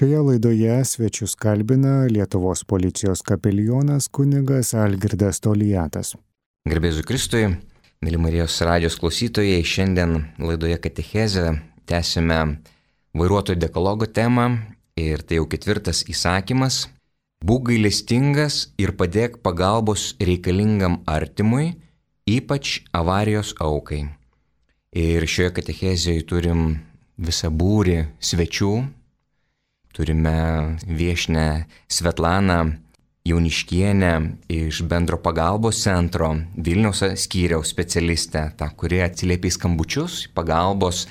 Šioje laidoje svečius kalbina Lietuvos policijos kapelionas kunigas Algirdas Toliatas. Garbėzu Kristui, mėly Marijos radijos klausytojai, šiandien laidoje Katechezė tęsime vairuotojų dekalogo temą ir tai jau 4 įsakymas. Būk gailestingas ir padėk pagalbos reikalingam artimui, ypač avarijos aukai. Ir šioje Katechezėje turim visą būrį svečių. Turime viešnią Svetlaną Jauniškienę iš bendro pagalbos centro, Vilniaus skyriaus specialistę, tą, kuri atsiliepia į skambučius, pagalbos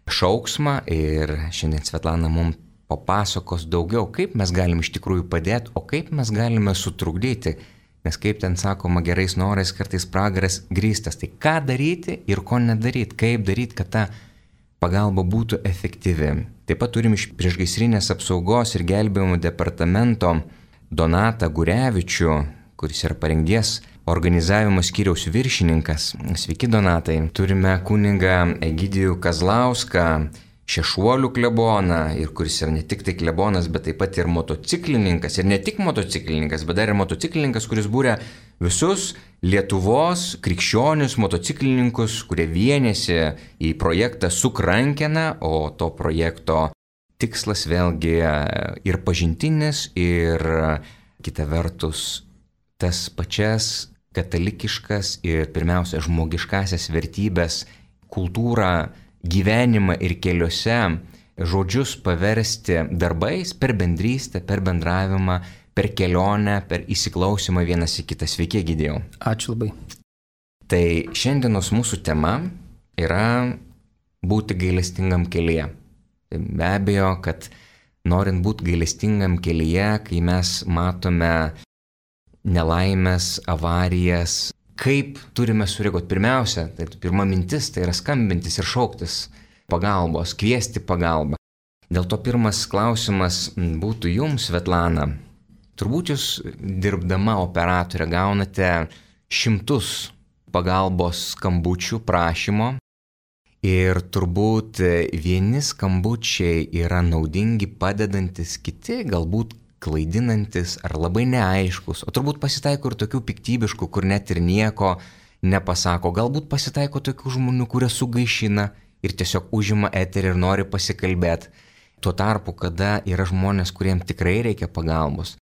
šauksmą. Ir šiandien Svetlana mums papasakos daugiau, kaip mes galime iš tikrųjų padėti, o kaip mes galime sutrukdyti. Nes kaip ten sakoma, gerais norais kartais pragaras grįstas. Tai ką daryti ir ko nedaryti, kaip daryti, kad ta pagalba būtų efektyvi. Taip pat turim iš priešgaisrinės apsaugos ir gelbėjimo departamento Donatą Gurevičių, kuris yra parengties organizavimo skyriaus viršininkas. Sveiki, Donatai. Turime kunigą Egidijų Kazlauską, Šešuolių kleboną, ir kuris yra ne tik tai klebonas, bet taip pat ir motociklininkas. Ir ne tik motociklininkas, bet dar ir motociklininkas, kuris būrė visus Lietuvos krikščionius motociklininkus, kurie vienėsi į projektą Suk rankena, o to projekto tikslas vėlgi ir pažintinis, ir kita vertus tas pačias katalikiškas ir pirmiausia žmogiškasias vertybės, kultūrą, gyvenimą ir keliuose žodžius paversti darbais per bendrystę, per bendravimą, per kelionę, per įsiklausimą vienas į kitą. Sveiki, Egidijau. Ačiū labai. Tai šiandienos mūsų tema yra būti gailestingam kelyje. Tai be abejo, kad norint būti gailestingam kelyje, kai mes matome nelaimės, avarijas, kaip turime sureaguoti? Pirmiausia, tai pirma mintis, tai yra skambintis ir šauktis pagalbos, kviesti pagalbą. Dėl to pirmas klausimas būtų jums, Svetlana. Turbūt jūs dirbdama operatorė gaunate šimtus pagalbos skambučių prašymo ir turbūt vieni skambučiai yra naudingi, padedantis, kiti galbūt klaidinantis ar labai neaiškus, o turbūt pasitaiko ir tokių piktybiškų, kur net ir nieko nepasako. Galbūt pasitaiko tokių žmonių, kurie sugaišina ir tiesiog užima eterį ir nori pasikalbėti. Tuo tarpu, kada yra žmonės, kuriems tikrai reikia pagalbos.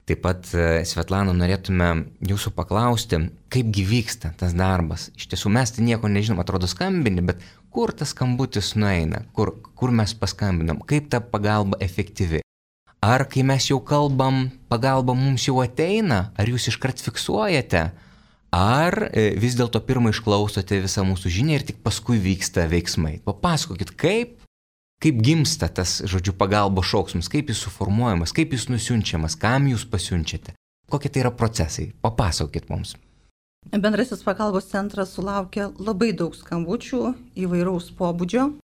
Taip pat, Svetlana, norėtume jūsų paklausti, kaipgi vyksta tas darbas. Iš tiesų mes tai nieko nežinom, atrodo skambini, bet kur tas skambutis nueina, kur mes paskambinam, kaip ta pagalba efektyvi. Ar kai mes jau kalbam, pagalba mums jau ateina, ar jūs iškart fiksuojate, ar vis dėlto pirmą išklausote visą mūsų žinią ir tik paskui vyksta veiksmai. Papasakokit, kaip gimsta tas, žodžiu, pagalbos šauksmas, kaip jis suformuojamas, kaip jis nusiunčiamas, kam jūs pasiunčiate, kokie tai yra procesai. Papasakokit mums. Bendrasis pagalbos centras sulaukia labai daug skambučių įvairaus pobūdžio.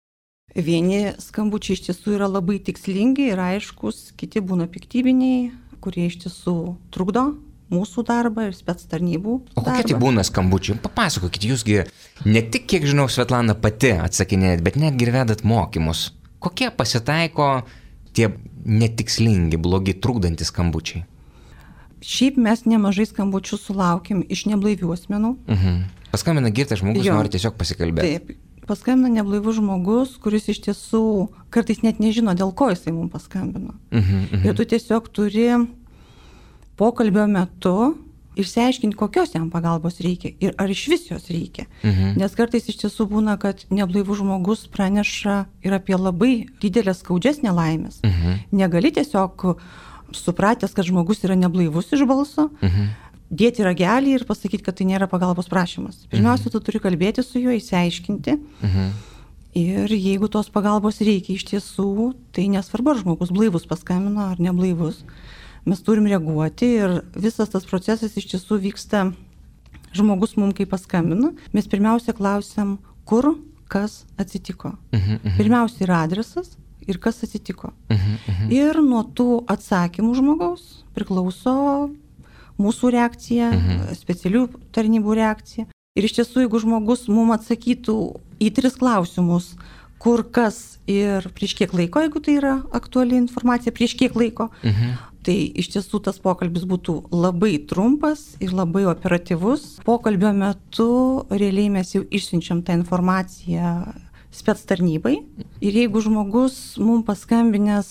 Vieni skambučiai iš tiesų yra labai tikslingi ir aiškus, kiti būna piktybiniai, kurie iš tiesų trukdo mūsų darbą ir spec tarnybų darbą. O kokie tai būna skambučiai? Papasakokit, jūsgi ne tik, kiek žinau, Svetlana pati atsakinėjat, bet netgi ir vedat mokymus. Kokie pasitaiko tie netikslingi, blogi, trukdantys skambučiai? Šiaip mes nemažai skambučių sulaukim iš neblaivių asmenų. Paskambina girtas žmogus, nori tiesiog pasikalbėti. Taip, paskambina neblaivus žmogus, kuris iš tiesų kartais net nežino, dėl ko jisai mums paskambino. Ir tu tiesiog turi pokalbio metu išsiaiškinti, kokios jam pagalbos reikia ir ar iš vis jos reikia. Nes kartais iš tiesų būna, kad neblaivus žmogus praneša ir apie labai didelės skaudžias nelaimės. Negali tiesiog supratęs, kad žmogus yra neblaivus iš balso, dėti ragelį ir pasakyti, kad tai nėra pagalbos prašymas. Pirmiausia, tu turi kalbėti su juo, išsiaiškinti. Ir jeigu tos pagalbos reikia iš tiesų, tai nesvarbu, ar žmogus blaivus paskambino ar neblaivus. Mes turim reaguoti ir visas tas procesas iš tiesų vyksta, žmogus mums kai paskambino, mes pirmiausia klausiam, kur, kas atsitiko. Pirmiausia yra adresas ir kas atsitiko. Ir nuo tų atsakymų žmogaus priklauso mūsų reakcija, specialių tarnybų reakcija. Ir iš tiesų, jeigu žmogus mums atsakytų į 3 klausimus, kur kas ir prieš kiek laiko, jeigu tai yra aktuali informacija, prieš kiek laiko. Tai iš tiesų tas pokalbis būtų labai trumpas ir labai operatyvus. Pokalbio metu realiai mes jau išsiunčiam tą informaciją spec tarnybai. Ir jeigu žmogus mums paskambinęs,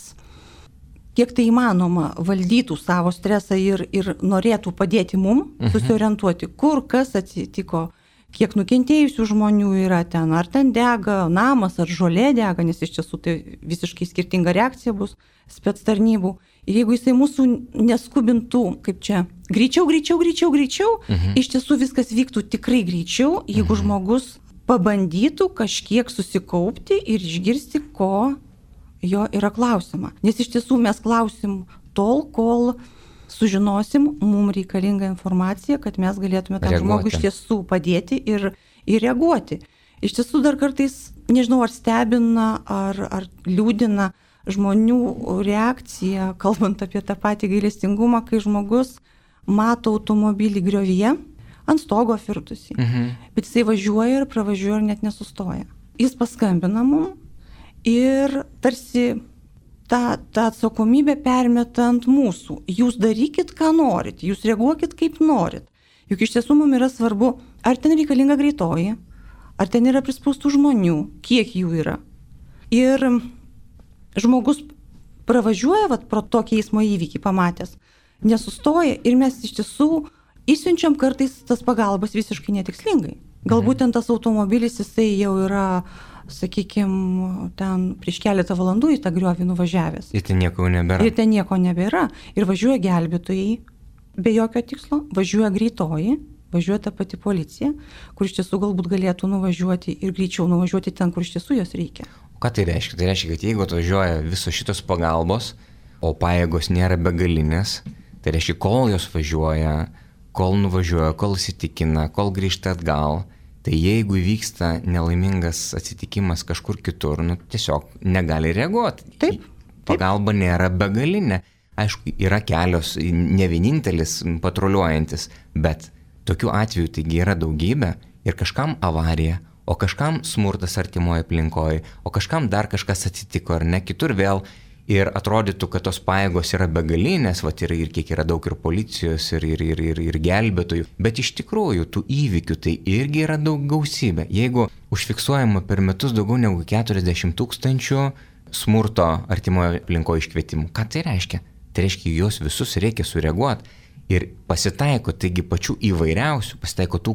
kiek tai įmanoma, valdytų savo stresą ir norėtų padėti mum susiorientuoti, kur kas atsitiko, kiek nukentėjusių žmonių yra ten, ar ten dega namas, ar žolė dega, nes iš tiesų tai visiškai skirtinga reakcija bus spec tarnybų. Ir jeigu jisai mūsų neskubintų, kaip čia, greičiau, iš tiesų viskas vyktų tikrai greičiau, jeigu žmogus pabandytų kažkiek susikaupti ir išgirsti, ko jo yra klausima. Nes iš tiesų mes klausim tol, kol sužinosim mums reikalingą informaciją, kad mes galėtume tam žmogui iš tiesų padėti ir reaguoti. Iš tiesų dar kartais, nežinau, ar stebina, ar liūdina žmonių reakcija, kalbant apie tą patį gailestingumą, kai žmogus mato automobilį griovyje, ant stogo firtusi, bet jisai važiuoja ir pravažiuoja ir net nesustoja. Jis paskambina mums ir tarsi tą atsakomybę permeta ant mūsų. Jūs darykit, ką norit, jūs reaguokit, kaip norit. Juk iš tiesų mums yra svarbu, ar ten reikalinga greitoji, ar ten yra prispaustų žmonių, kiek jų yra. Ir žmogus pravažiuoja pro tokį eismo įvykį pamatęs, nesustoja ir mes iš tiesų išsiunčiam kartais tas pagalbas visiškai netikslingai. Galbūt ten tas automobilis jisai jau yra, sakykime, ten prieš keletą valandų į tą griovį nuvažiavęs. Ir ten nieko nebėra. Ir važiuoja gelbėtojai be jokio tikslo, važiuoja greitoji, važiuoja ta pati policija, kur iš tiesų galbūt galėtų nuvažiuoti ir greičiau nuvažiuoti ten, kur iš tiesų jos reikia. O ką tai reiškia? Tai reiškia, kad jeigu atvažiuoja visos šitos pagalbos, o pajėgos nėra begalinės, tai reiškia, kol jos važiuoja, kol nuvažiuoja, kol įsitikina, kol grįžta atgal, tai jeigu įvyksta nelaimingas atsitikimas kažkur kitur, tiesiog negali reaguoti. Taip. Pagalba nėra begalinė. Aišku, yra kelios, ne vienintelis patruliuojantis, bet tokių atvejų taigi yra daugybė ir kažkam avarija, o kažkam smurtas artimoje aplinkoje, o kažkam dar kažkas atsitiko ar ne, kitur vėl. Ir atrodytų, kad tos pajėgos yra begalinės, ir kiek yra daug ir policijos, ir gelbėtojų. Bet iš tikrųjų, tų įvykių tai irgi yra daug gausybė. Jeigu užfiksuojama per metus daugiau negu 40 000 smurto artimoje aplinkoje iškvietimų, ką tai reiškia? Tai reiškia, juos visus reikia sureaguoti. Ir pasitaiko, taigi pačių įvairiausių, pasitaiko tų,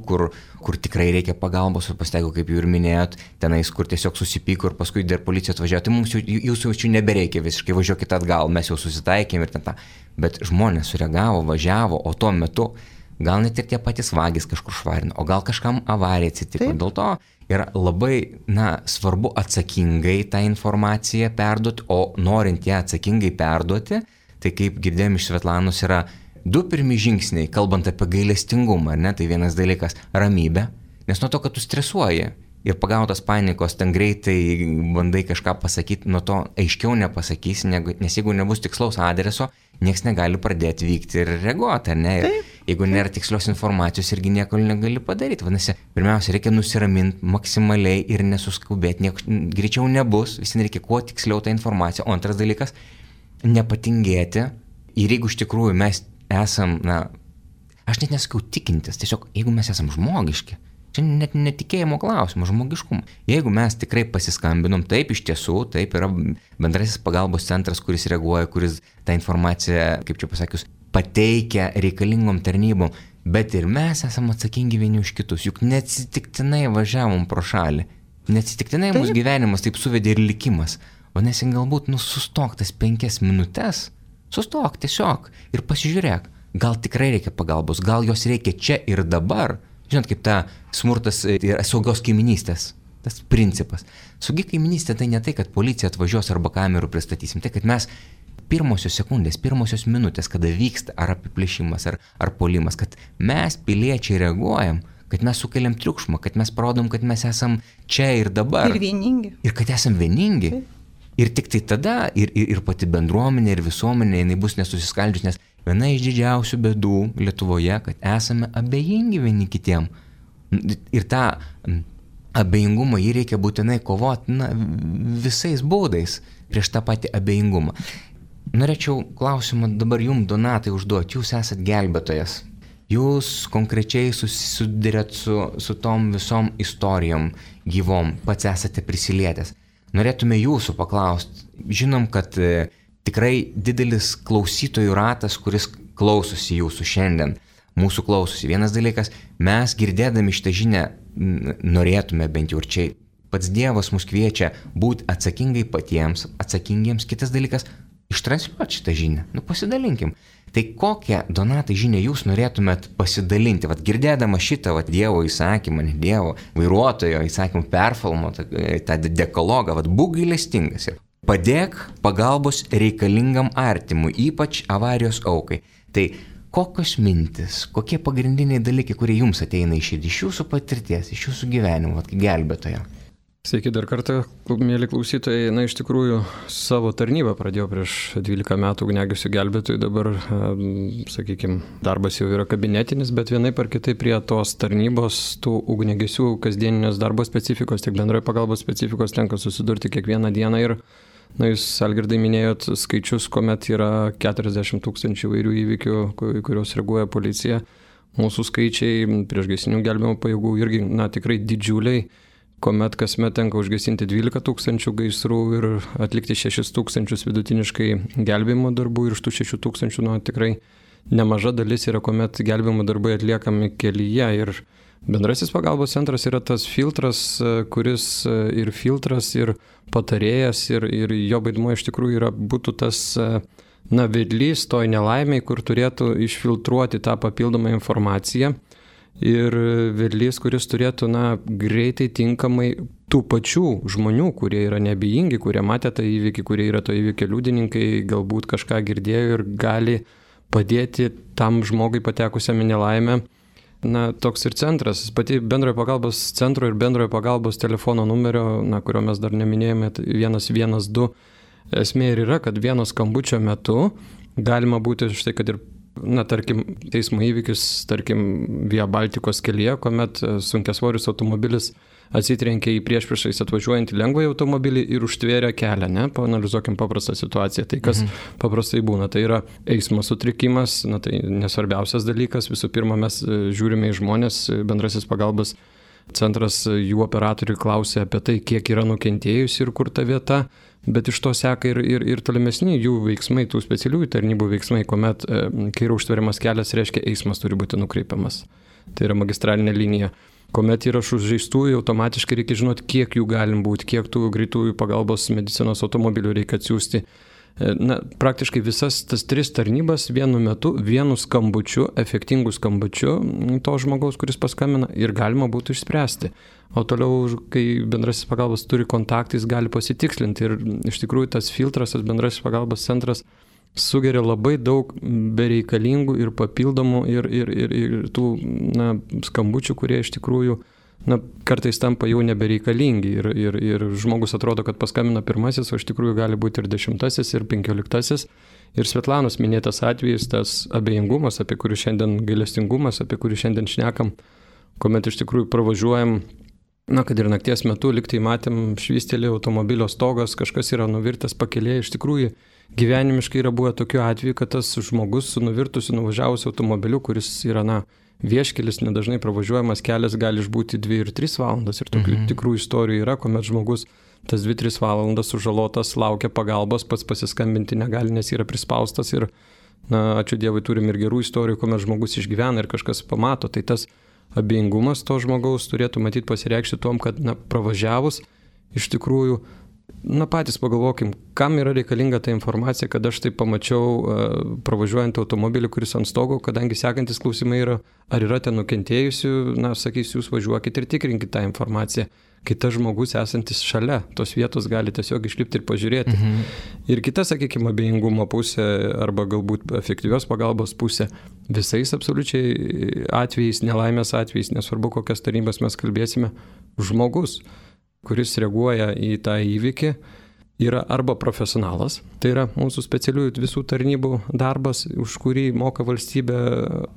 kur tikrai reikia pagalbos, ir pasitaiko, kaip jau ir minėjot, tenais, kur tiesiog susipyko ir paskui dar policija atvažiavo, tai mums jūsų jau nebereikia visiškai, važiuokit atgal, mes jau susitaikėm ir ten tą. Bet žmonės sureagavo, važiavo, o tuo metu gal net ir tie patys vagys kažkur švarino, o gal kažkam avarija atsitiko. Dėl to yra labai, svarbu atsakingai tą informaciją perduoti, o norint ją atsakingai perduoti, tai kaip girdėjom iš Svetlanos yra 2 pirmi žingsniai, kalbant apie gailestingumą, ar ne, tai vienas dalykas - ramybė, nes nuo to, kad tu stresuoji ir pagautas panikos, ten greitai bandai kažką pasakyti, nuo to aiškiau nepasakysi, nes jeigu nebus tikslaus adreso, nieks negali pradėti vykti ir reaguoti, ar ne, ir jeigu nėra tikslios informacijos, irgi nieko negali padaryti. Vadinasi, pirmiausia, reikia nusiraminti maksimaliai ir nesuskubėti, nieko greičiau nebus, vis reikia kuo tiksliau tą informaciją. O antras dalykas - nepatingėti ir jeigu iš tikrųjų mes esam, aš net nesakau tikintis, tiesiog jeigu mes esam žmogiški, čia net netikėjimo klausimas, žmogiškumo. Jeigu mes tikrai pasiskambinom, taip iš tiesų, taip yra bendrasis pagalbos centras, kuris reaguoja, kuris tą informaciją, kaip čia pasakius, pateikia reikalingom tarnybom, bet ir mes esam atsakingi vieni už kitus, juk neatsitiktinai važiavom pro šalį, neatsitiktinai mūsų gyvenimas taip suvedė ir likimas, o nesi galbūt sustok tas 5 minutes, sustok tiesiog ir pasižiūrėk, gal tikrai reikia pagalbos, gal jos reikia čia ir dabar. Žinot, kaip ta smurtas ir saugios kaiminystės, tas principas. Saugi kaiminystė tai ne tai, kad policija atvažiuos arba kamerų pristatysim, tai kad mes pirmosios sekundės, pirmosios minutės, kada vyksta ar apiplėšimas, ar puolimas, kad mes piliečiai reaguojam, kad mes sukeliam triukšmą, kad mes parodom, kad mes esam čia ir dabar. Ir vieningi. Ir kad esam vieningi. Taip. Ir tik tai tada ir pati bendruomenė, ir visuomenė, jinai bus nesusiskaldžius, nes viena iš didžiausių bėdų Lietuvoje, kad esame abejingi vieni kitiem. Ir tą abejingumą jį reikia būtinai kovoti, visais būdais prieš tą patį abejingumą. Norėčiau klausimą dabar jums, Donatai, užduoti. Jūs esat gelbėtojas. Jūs konkrečiai susidurėt su tom visom istorijom gyvom, pats esate prisilietęs. Norėtume jūsų paklausti. Žinom, kad tikrai didelis klausytojų ratas, kuris klausosi jūsų šiandien, mūsų klausosi. Vienas dalykas, mes girdėdami šitą žinią norėtume bent jau ir čia. Pats Dievas mus kviečia būti atsakingiems. Kitas dalykas, ištransliuoti šitą žinią. Pasidalinkim. Tai kokią, Donatai, žinią jūs norėtumėt pasidalinti? Girdėdama šitą Dievo įsakymą, ne Dievo, vairuotojo įsakymą perfilmuotą, tą dekalogą, būk gailestingas ir padėk pagalbos reikalingam artimui, ypač avarijos aukai. Tai kokios mintis, kokie pagrindiniai dalykai, kurie jums ateina iš jūsų patirties, iš jūsų gyvenimo, kaip gelbėtojo? Sveiki dar kartą, mėly klausytojai. Iš tikrųjų, savo tarnybą pradėjau prieš 12 metų ugniagesių gelbėtojų. Dabar, sakykime, darbas jau yra kabinetinis, bet vienaip ar kitaip prie tos tarnybos, tų ugniagesių kasdieninės darbo specifikos, tiek bendrojo pagalbos specifikos tenka susidurti kiekvieną dieną. Ir, jūs, Algirdai, minėjot skaičius, kuomet yra 40 000 įvairių įvykių, kuriuos reaguoja policija. Mūsų skaičiai priešgaisrinių gelbėjimo pajėgų irgi, tikrai didžiuliai, kuomet kasmet tenka užgesinti 12 000 gaisrų ir atlikti 6 000 vidutiniškai gelbėjimo darbų, ir iš tų 6 000 tikrai nemaža dalis yra, kuomet gelbėjimo darbai atliekami kelyje. Ir bendrasis pagalbos centras yra tas filtras, kuris ir filtras, ir patarėjas, ir jo vaidmuo iš tikrųjų būtų tas vedlys toj nelaimiai, kur turėtų išfiltruoti tą papildomą informaciją. Ir vedlys, kuris turėtų greitai, tinkamai tų pačių žmonių, kurie yra neabejingi, kurie matė tą įvykį, kurie yra to įvykio liudininkai, galbūt kažką girdėjo ir gali padėti tam žmogui patekusiam į nelaimę. Toks ir centras, pati bendrojo pagalbos centro ir bendrojo pagalbos telefono numerio, kurio mes dar neminėjome, 112, esmė ir yra, kad vieno skambučio metu galima būti štai, kad ir tarkim, teismo įvykis, tarkim, Via Baltikos kelyje, kuomet sunkiasvoris automobilis atsitrenkė į priešpriešais atvažiuojantį lengvąjį automobilį ir užtvėrė kelią, Paanalizuokim paprastą situaciją. Tai kas paprastai būna, tai yra eismo sutrikimas, tai nesvarbiausias dalykas. Visų pirma, mes žiūrime į žmonės, bendrasis pagalbos centras, jų operatoriai klausia apie tai, kiek yra nukentėjusi ir kur ta vieta. Bet iš to seka ir tolimesni jų veiksmai, tų specialiųjų tarnybų veiksmai, kuomet, kai yra užtveriamas kelias, reiškia, eismas turi būti nukreipiamas. Tai yra magistralinė linija. Kuomet yra sužeistųjų, automatiškai reikia žinoti, kiek jų galim būti, kiek tų greitųjų pagalbos medicinos automobilių reikia atsiųsti. Praktiškai visas tas 3 tarnybas vienu metu, vienu skambučiu, efektingu skambučiu to žmogaus, kuris paskambina, ir galima būtų išspręsti. O toliau, kai bendrasis pagalbos turi kontaktais, gali pasitikslinti. Ir iš tikrųjų tas filtras, tas bendrasis pagalbos centras sugeria labai daug bereikalingų ir papildomų ir tų skambučių, kurie iš tikrųjų kartais tampa jau nebereikalingi. Ir žmogus atrodo, kad paskambina pirmasis, o iš tikrųjų gali būti ir 10. ir 15. Ir Svetlanos minėtas atvejis, tas abejingumas, apie kurį šiandien, gailestingumas, apie kurį šiandien šnekam, kuomet iš tikrųjų pravažiuojam, kad ir nakties metu liktai matėm švystelį automobilio stogas, kažkas yra nuvirtęs pakelėje. Iš tikrųjų gyvenimiškai yra buvę tokių atvejų, kad tas žmogus su nuvirtusiu nuvažiavusiu automobiliu, kuris yra vieškelis, nedažnai pravažiuojamas kelias, gali išbūti 2 ir 3 valandas. Ir tokių tikrų istorijų yra, kuomet žmogus tas 2-3 valandas sužalotas, laukia pagalbos, pats pasiskambinti negali, nes yra prispaustas. Ir ačiū Dievui, turim ir gerų istorijų, kuomet žmogus išgyvena ir kažkas pamato. Tai tas abejingumas to žmogaus turėtų matyti pasireikšti tom, kad pravažiavus iš tikrųjų, patys pagalvokim, kam yra reikalinga ta informacija, kad aš tai pamačiau pravažiuojant automobilį, kuris ant stogo, kadangi sekantis klausimai yra, ar yra ten nukentėjusių, sakys, jūs važiuokit ir tikrinkit tą informaciją. Kai tas žmogus esantis šalia tos vietos gali tiesiog išlipti ir pažiūrėti. Ir kita, sakykime, abejingumo pusė arba galbūt efektyvios pagalbos pusė, visais absoliučiai atvejais, nelaimės atvejais, nesvarbu kokias tarnybas mes kalbėsime, žmogus, kuris reaguoja į tą įvykį, yra arba profesionalas, tai yra mūsų specialiųjų visų tarnybų darbas, už kurį moka valstybė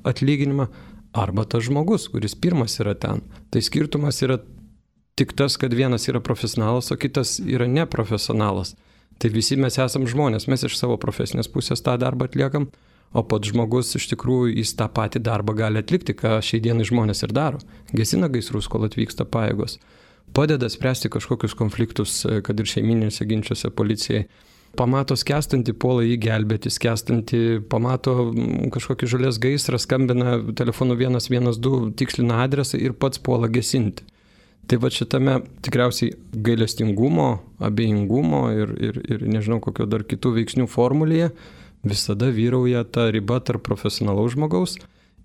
atlyginimą, arba tas žmogus, kuris pirmas yra ten. Tai skirtumas yra tik tas, kad vienas yra profesionalas, o kitas yra neprofesionalas. Tai visi mes esam žmonės, mes iš savo profesinės pusės tą darbą atliekam, o pats žmogus iš tikrųjų jis tą patį darbą gali atlikti, ką šiai dienai žmonės ir daro. Gesina gaisrus, kol atvyksta pajėgos. Padeda spręsti kažkokius konfliktus, kad ir šeiminėse ginčiuose policijai. Pamato skęstantį, puola jį gelbėti, skęstantį, pamato kažkokį žolės gaisrą, skambina telefonu 112, tikslina adresą ir pats puola gesinti. Tai va šitame tikriausiai gailestingumo, abejingumo ir nežinau kokio dar kitų veiksnių formulėje visada vyrauja ta riba tarp profesionalaus žmogaus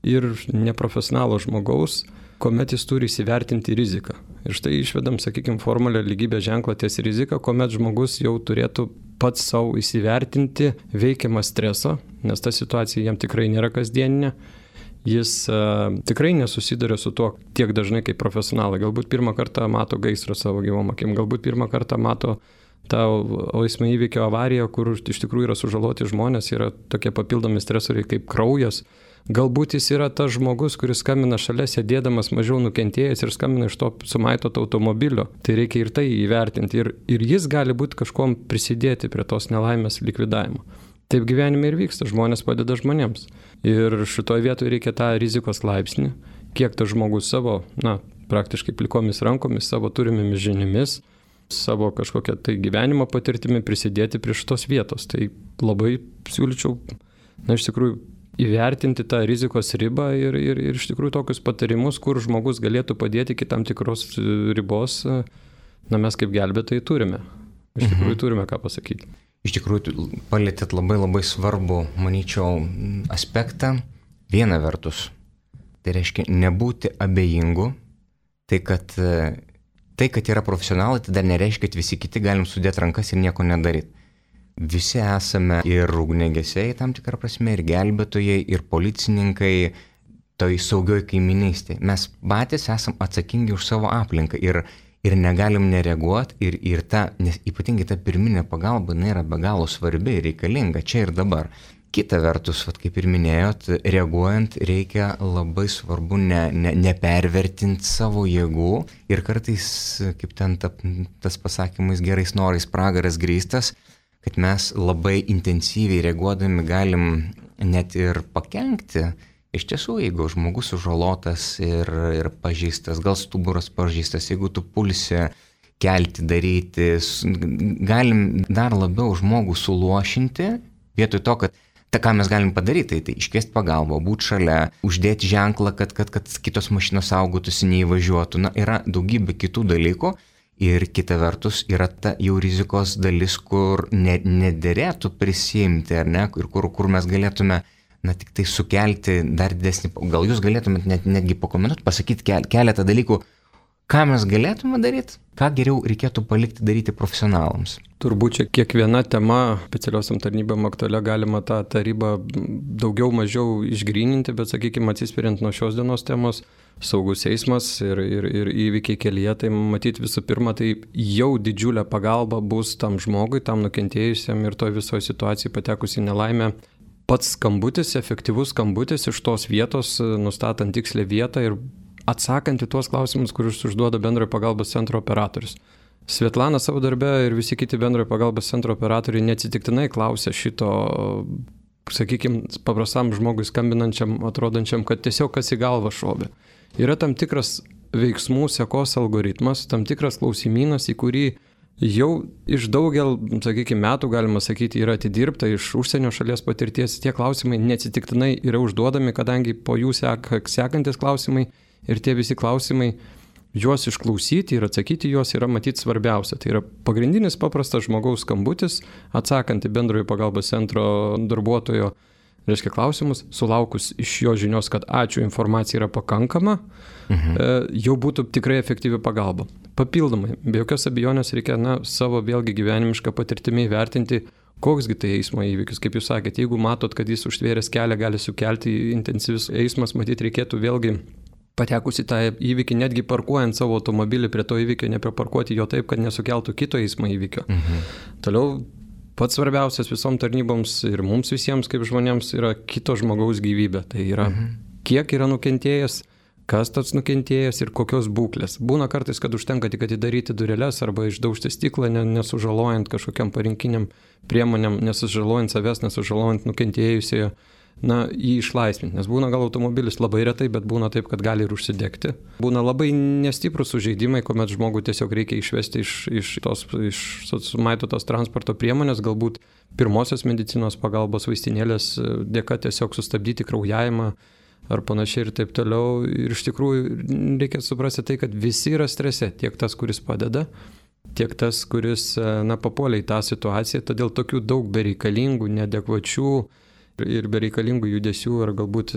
ir neprofesionalo žmogaus, kuomet jis turi įsivertinti riziką. Ir štai išvedam, sakykime, formulę lygybės ženklą ties rizika, kuomet žmogus jau turėtų pats savo įsivertinti veikiamą stresą, nes ta situacija jam tikrai nėra kasdieninė. Jis tikrai nesusiduria su tuo tiek dažnai kaip profesionalai. Galbūt pirmą kartą mato gaisrą savo gyvom akim, galbūt pirmą kartą mato tą eismo įvykio avariją, kur iš tikrųjų yra sužaloti žmonės, yra tokie papildomi stresoriai kaip kraujas. Galbūt jis yra tas žmogus, kuris skambina šalia sėdėdamas mažiau nukentėjęs ir skambina iš to sumaitoto automobilio. Tai reikia ir tai įvertinti. Ir jis gali būti kažkuom prisidėti prie tos nelaimės likvidavimo. Taip gyvenime ir vyksta, žmonės padeda žmonėms. Ir šitoje vietoje reikia tą rizikos laipsnį, kiek tas žmogus savo, praktiškai plikomis rankomis, savo turimėmis žiniomis, savo kažkokią tai gyvenimo patirtimi prisidėti prie šitos vietos. Tai labai siūlyčiau, iš tikrųjų, įvertinti tą rizikos ribą ir iš tikrųjų tokius patarimus, kur žmogus galėtų padėti iki tam tikros ribos, mes kaip gelbėtojai turime. Iš tikrųjų turime ką pasakyti. Iš tikrųjų, palėtėt labai svarbų, manyčiau, aspektą. Viena vertus, tai reiškia nebūti abejingu, tai kad yra profesionalai, tai dar nereiškia, kad visi kiti galim sudėti rankas ir nieko nedaryti. Visi esame ir ugniagesiai tam tikrą prasme, ir gelbėtojai, ir policininkai, toj saugioj kaiminystėje. Mes patys esam atsakingi už savo aplinką ir negalim nereaguoti ir nes ypatingai ta pirminė pagalba yra be galo svarbi ir reikalinga čia ir dabar. Kita vertus, kaip ir minėjot, reaguojant reikia labai svarbu nepervertinti savo jėgų ir kartais, kaip ten tas pasakymas gerais norais pragaras grįstas, kad mes labai intensyviai reaguodami galim net ir pakenkti. Iš tiesų, jeigu žmogus sužalotas ir pažeistas, gal stuburas pažeistas, jeigu tu pulsi kelti, daryti, galim dar labiau žmogų suluošinti, vietoj to, kad ką mes galim padaryti, tai iškviesti pagalbą, būti šalia, uždėti ženklą, kad kitos mašinos saugotųsi, neįvažiuotų. Yra daugybė kitų dalykų ir kita vertus yra ta jau rizikos dalis, kur nederėtų prisimti, ar ne, ir kur mes galėtume tik tai sukelti dar didesnį, gal jūs galėtumėt netgi pakomentuoti, pasakyti keletą dalykų, ką mes galėtume daryti, ką geriau reikėtų palikti daryti profesionalams. Turbūt čia kiekviena tema specialiosiam tarnybam aktualia galima tą ribą daugiau mažiau išgryninti, bet sakykime, atsispiriant nuo šios dienos temos, saugus eismas ir įvykiai kelyje, tai matyti visų pirma, tai jau didžiulė pagalba bus tam žmogui, tam nukentėjusiam ir toj visoje situacijai patekusi nelaimę. Pats skambutis, efektyvus skambutis iš tos vietos, nustatant tikslę vietą ir atsakant į tuos klausimus, kuriuos užduoda bendrojo pagalbos centro operatorius. Svetlana savo darbe ir visi kiti bendrojo pagalbos centro operatoriai neatsitiktinai klausia šito, sakykime, paprastam žmogui skambinančiam, atrodančiam, kad tiesiog kas į galvą šovė. Yra tam tikras veiksmų sekos algoritmas, tam tikras klausimynas, į kurį jau iš daugel, sakykime, metų, galima sakyti, yra atidirbta iš užsienio šalies patirties. Tie klausimai neatsitiktinai yra užduodami, kadangi po jų sekantis klausimai ir tie visi klausimai, juos išklausyti ir atsakyti juos yra matyti svarbiausia. Tai yra pagrindinis paprastas žmogaus skambutis, atsakant į bendrojo pagalbos centro darbuotojo, reiškia klausimus, sulaukus iš jo žinios, kad ačiū, informacija yra pakankama, jau būtų tikrai efektyvi pagalba. Papildomai, be jokios abejonės reikia savo vėlgi gyvenimišką patirtimį įvertinti, koksgi tai eismo įvykis. Kaip jūs sakėte, jeigu matot, kad jis užtvėręs kelią gali sukelti intensyvius eismas, matyt, reikėtų vėlgi patekus į tą įvykį, netgi parkuojant savo automobilį prie to įvykio, nepriparkuoti jo taip, kad nesukeltų kito eismo įvykio. Toliau, pats svarbiausias visom tarnyboms ir mums visiems kaip žmonėms yra kito žmogaus gyvybė. Tai yra, kiek yra nukentėjęs, kas tas nukentėjęs ir kokios būklės. Būna kartais, kad užtenka tik atidaryti dureles arba išdaužti stiklą, nesužalojant kažkokiam parinkiniam priemonėm, nesužalojant savęs, nesužalojant nukentėjusiojo, jį išlaisvinti. Nes būna gal automobilis labai retai, bet būna taip, kad gali ir užsidegti. Būna labai nestiprus sužeidimai, kuomet žmogų tiesiog reikia išvesti iš sumaitotos transporto priemonės, galbūt pirmosios medicinos pagalbos vaistinėlės dėka tiesiog sustabdyti kraujavimą ar panašiai ir taip toliau. Ir iš tikrųjų reikia suprasti tai, kad visi yra strese, tiek tas, kuris padeda, tiek tas, kuris papuolė į tą situaciją, todėl tokių daug bereikalingų, neadekvačių ir bereikalingų judesių ar galbūt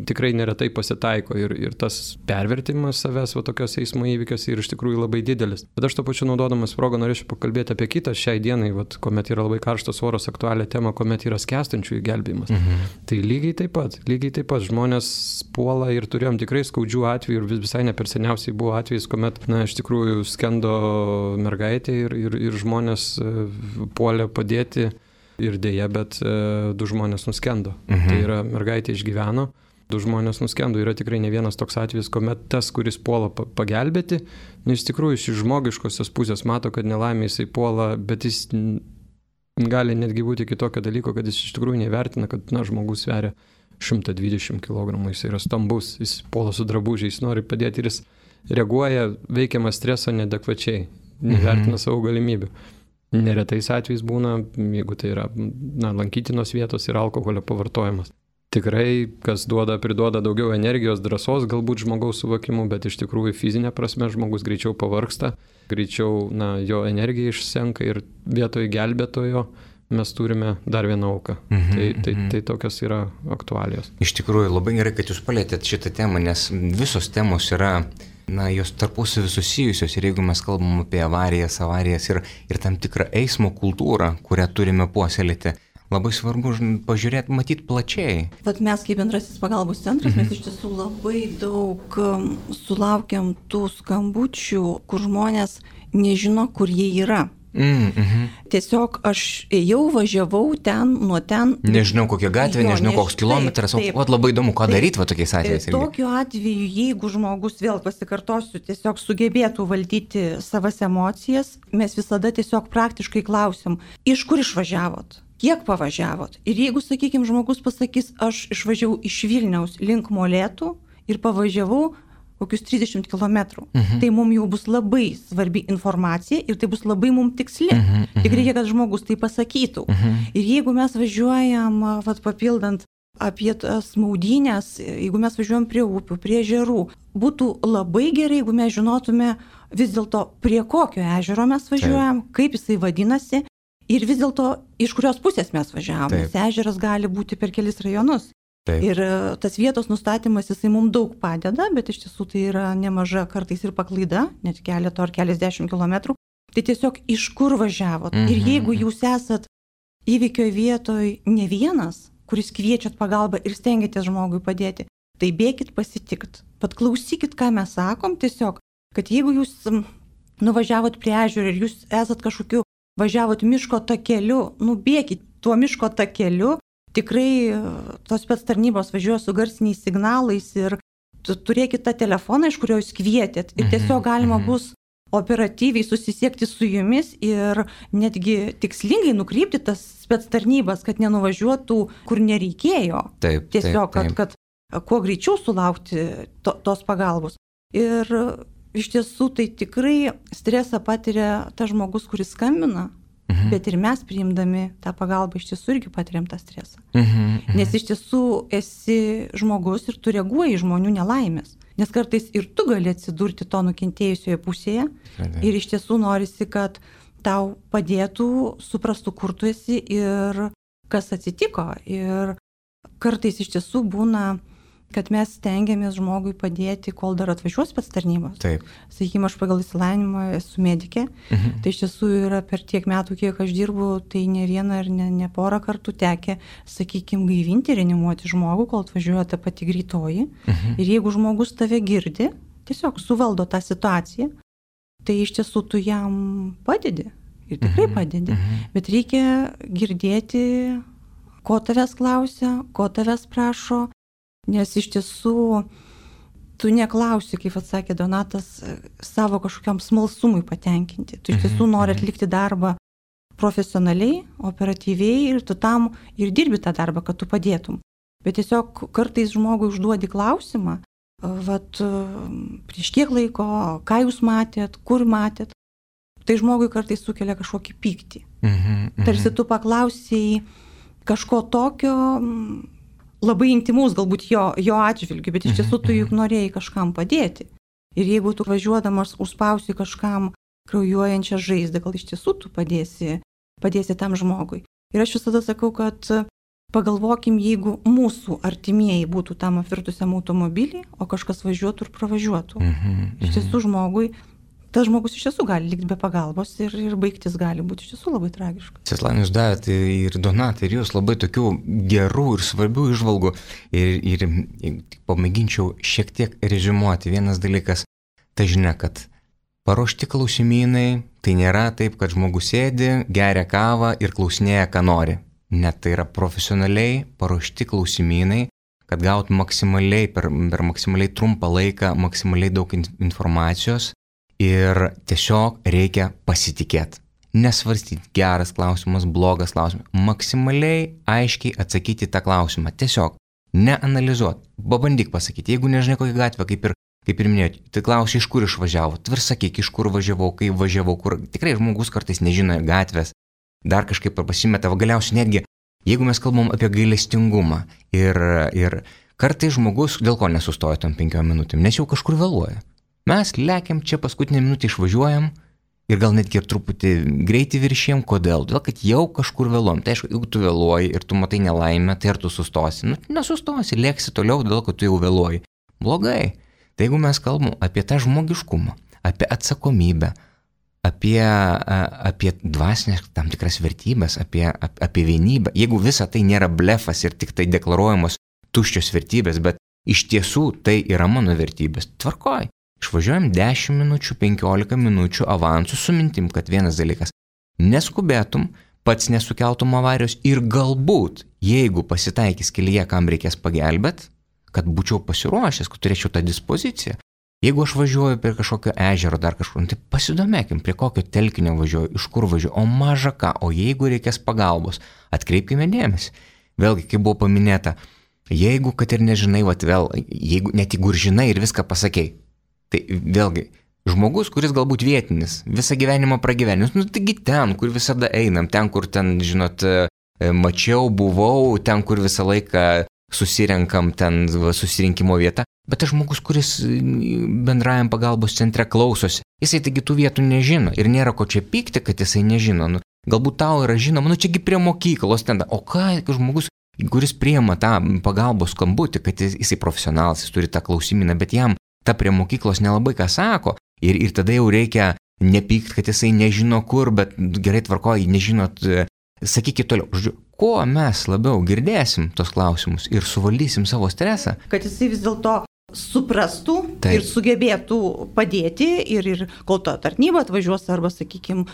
tikrai neretai pasitaiko ir tas pervertimas savęs tokios eismo įvykiuose yra iš tikrųjų labai didelis. Bet aš to pačiu naudodamas progą norėčiau pakalbėti apie kitą šiai dienai, kuomet yra labai karštas oras, aktualią temą, kuomet yra skęstančiųjų gelbėjimas. Tai lygiai taip pat žmonės puola ir turėjom tikrai skaudžių atvejų ir visai ne per seniausiai buvo atvejis, kuomet iš tikrųjų skendo mergaitė ir žmonės puolė padėti. Ir dėja, bet 2 žmonės nuskendo. Tai yra mergaitė išgyveno, 2 žmonės nuskendo. Yra tikrai ne vienas toks atvejis, kuomet tas, kuris puola pagelbėti, iš tikrųjų iš žmogiškosios pusės mato, kad nelaimė jisai puola, bet jis gali netgi būti kitokio dalyko, kad jis iš tikrųjų nevertina, kad žmogus sveria 120 kg, jis yra stambus, jis puola su drabužiais, nori padėti ir jis reaguoja veikiamas streso neadekvačiai, nevertina savo galimybių. Neretais atvejais būna, jeigu tai yra lankytinos vietos ir alkoholio pavartojimas. Tikrai, kas priduoda daugiau energijos, drąsos, galbūt žmogaus suvokimu, bet iš tikrųjų fizinė prasme žmogus greičiau pavargsta, greičiau jo energija išsenka ir vietoj gelbėtojo mes turime dar vieną auką. Tai tokios yra aktualijos. Iš tikrųjų, labai gerai, kad jūs palėtėt šitą temą, nes visos temos yra jos tarpusavy susijusios ir jeigu mes kalbam apie avarijas ir tam tikrą eismo kultūrą, kurią turime puoselėti, labai svarbu pažiūrėti, matyti plačiai. Mes kaip bendrasis pagalbos centras, mes iš tiesų labai daug sulaukiam tų skambučių, kur žmonės nežino, kur jie yra. Tiesiog aš važiavau nuo ten. Nežinau kokią gatvę, nežinau koks kilometras, o labai įdomu, ką daryti tokiais atvejais. Tokiu atveju, jeigu žmogus, vėl pasikartosiu, tiesiog sugebėtų valdyti savas emocijas, mes visada tiesiog praktiškai klausim, iš kur išvažiavot, kiek pavažiavot. Ir jeigu, sakykime, žmogus pasakys, aš išvažiavau iš Vilniaus link Molėtų ir pavažiavau kokius 30 km. Tai mums jau bus labai svarbi informacija ir tai bus labai mums tiksli. Tik reikia, kad žmogus tai pasakytų. Ir jeigu mes važiuojam, papildant apie tas maudynės, jeigu mes važiuojam prie upių, prie ežerų, būtų labai gerai, jeigu mes žinotume vis dėlto, prie kokio ežero mes važiuojam, kaip jisai vadinasi ir vis dėlto iš kurios pusės mes važiavam. Nes ežeras gali būti per kelis rajonus. Taip. Ir tas vietos nustatymas, jisai mums daug padeda, bet iš tiesų tai yra nemaža kartais ir paklaida, net keleto ar keliasdešimt kilometrų. Tai tiesiog iš kur važiavot. Ir jeigu jūs esat įvykio vietoj ne vienas, kuris kviečiat pagalbą ir stengiatės žmogui padėti, tai bėkit pasitikt. Pat klausykit, ką mes sakom, tiesiog, kad jeigu jūs nuvažiavot prie ežero ir jūs esat kažkokiu, važiavot miško takeliu, bėkit tuo miško takeliu. Tikrai tos spec tarnybos važiuoja su garsiniais signalais ir turėkit tą telefoną, iš kurio jūs kvietėt. Ir tiesiog galima bus operatyviai susisiekti su jumis ir netgi tikslingai nukreipti tas spec tarnybas, kad nenuvažiuotų, kur nereikėjo. Tiesiog, kad kuo greičiau sulaukti tos pagalbos. Ir iš tiesų tai tikrai stresą patiria tas žmogus, kuris skambina. Bet ir mes priimdami tą pagalbą iš tiesų irgi patiriam tą stresą. Nes iš tiesų esi žmogus ir tu reaguoji į žmonių nelaimės. Nes kartais ir tu gali atsidurti to nukentėjusioje pusėje ir iš tiesų norisi, kad tau padėtų, suprastų, kur tu esi ir kas atsitiko. Ir kartais iš tiesų būna, kad mes stengiamės žmogui padėti, kol dar atvažiuos spec tarnybos. Sakykime, aš pagal išsilavinimą esu medikė, tai iš tiesų yra per tiek metų, kiek aš dirbu, tai ne vieną ir ne porą kartų tekę, sakykime, gaivinti, reanimuoti žmogų, kol atvažiuoja ta pati greitoji. Ir jeigu žmogus tave girdi, tiesiog suvaldo tą situaciją, tai iš tiesų tu jam padedi. Ir tikrai padedi. Bet reikia girdėti, ko tavęs klausia, ko tavęs prašo. Nes iš tiesų tu neklausi, kaip atsakė Donatas, savo kažkokiam smalsumui patenkinti. Tu iš tiesų nori atlikti darbą profesionaliai, operatyviai ir tu tam ir dirbi tą darbą, kad tu padėtum. Bet tiesiog kartais žmogui užduodi klausimą, prieš kiek laiko, ką jūs matėt, kur matėt, tai žmogui kartais sukelia kažkokį pyktį. Tarsi tu paklausėjai kažko tokio labai intimaus, galbūt jo atžvilgiu, bet iš tiesų tu juk norėjai kažkam padėti. Ir jeigu tu važiuodamas užspausi kažkam kraujuojančią žaizdą, gal iš tiesų tu padėsi tam žmogui. Ir aš visada sakau, kad pagalvokim, jeigu mūsų artimieji būtų tam apvirtusiam automobilį, o kažkas važiuotų ir pravažiuotų. Iš tiesų tas žmogus iš tiesų gali likti be pagalbos ir baigtis gali būti iš tiesų labai tragiška. Svetlana, jūs davėte ir Donatai, ir jūs labai tokių gerų ir svarbių įžvalgų ir pamėginčiau šiek tiek reziumuoti. Vienas dalykas, ta žinia, kad paruošti klausimynai, tai nėra taip, kad žmogus sėdi, geria kavą ir klausinėja, ką nori. Net tai yra profesionaliai paruošti klausimynai, kad gaut maksimaliai per maksimaliai trumpą laiką, maksimaliai daug informacijos. Ir tiesiog reikia pasitikėti. Nesvarstyti geras klausimas, blogas klausimas. Maksimaliai aiškiai atsakyti tą klausimą. Tiesiog neanalizuoti. Pabandyk pasakyti. Jeigu nežinai kokią gatvę, kaip ir minėjot, tai klausi, iš kur išvažiavo. Tvar sakyk, iš kur važiavau, kaip važiavau, kur. Tikrai žmogus kartais nežino gatvės. Dar kažkaip pasimeta. Galiausiai netgi, jeigu mes kalbam apie gailestingumą ir kartais žmogus dėl ko nesustoja tom 5 minutėm, nes jau kažkur vėluoja. Mes lekiam čia paskutinę minutę išvažiuojam ir gal netgi ir truputį greitį viršėjam. Kodėl? Todėl, kad jau kažkur vėluojam. Tai aišku, jeigu tu vėluoji ir tu matai nelaimę, tai ar tu sustosi? Nesustosi, lėksi toliau, todėl, kad tu jau vėluoji. Blogai. Tai jeigu mes kalbam apie tą žmogiškumą, apie atsakomybę, apie dvasinės tam tikras vertybės, apie vienybę, jeigu visa tai nėra blefas ir tik tai deklaruojamos tuščios vertybės, bet iš tiesų tai yra mano vertybės, tvarkoj. Išvažiuojam 10 minučių, 15 minučių avansų su mintim, kad vienas dalykas, neskubėtum, pats nesukeltum avarijos ir galbūt, jeigu pasitaikys kelyje, kam reikės pagelbėt, kad būčiau pasiruošęs, kad turėčiau tą dispoziciją. Jeigu aš važiuoju prie kažkokio ežero dar kažkur, tai pasidomėkim, prie kokio telkinio važiuoju, iš kur važiuoju, o maža ką, o jeigu reikės pagalbos, atkreipkime dėmesį. Vėlgi, kaip buvo paminėta, jeigu, kad ir nežinai, net jeigu ir žinai ir viską pasakei, tai vėlgi, žmogus, kuris galbūt vietinis, visą gyvenimą pragyvenęs, taigi ten, kur visada einam, ten, kur ten, žinot, mačiau, buvau, ten, kur visą laiką susirenkam, ten susirinkimo vieta, bet tas žmogus, kuris bendrajam pagalbos centre klausosi, jisai taigi tų vietų nežino ir nėra ko čia pykti, kad jisai nežino. Galbūt tau yra žinoma, čiagi prie mokyklos ten, o ką žmogus, kuris priima tą pagalbos skambutį, kad jisai profesionalas, jis turi tą klausimyną, bet jam ta prie mokyklos nelabai ką sako ir tada jau reikia nepykti, kad jisai nežino kur, bet gerai tvarkoji, nežinot, sakykit toliau, žodžiu, kuo mes labiau girdėsim tos klausimus ir suvaldysim savo stresą. Kad jisai vis dėlto suprastų ir sugebėtų padėti ir kol ta tarnyba atvažiuos arba, sakykime,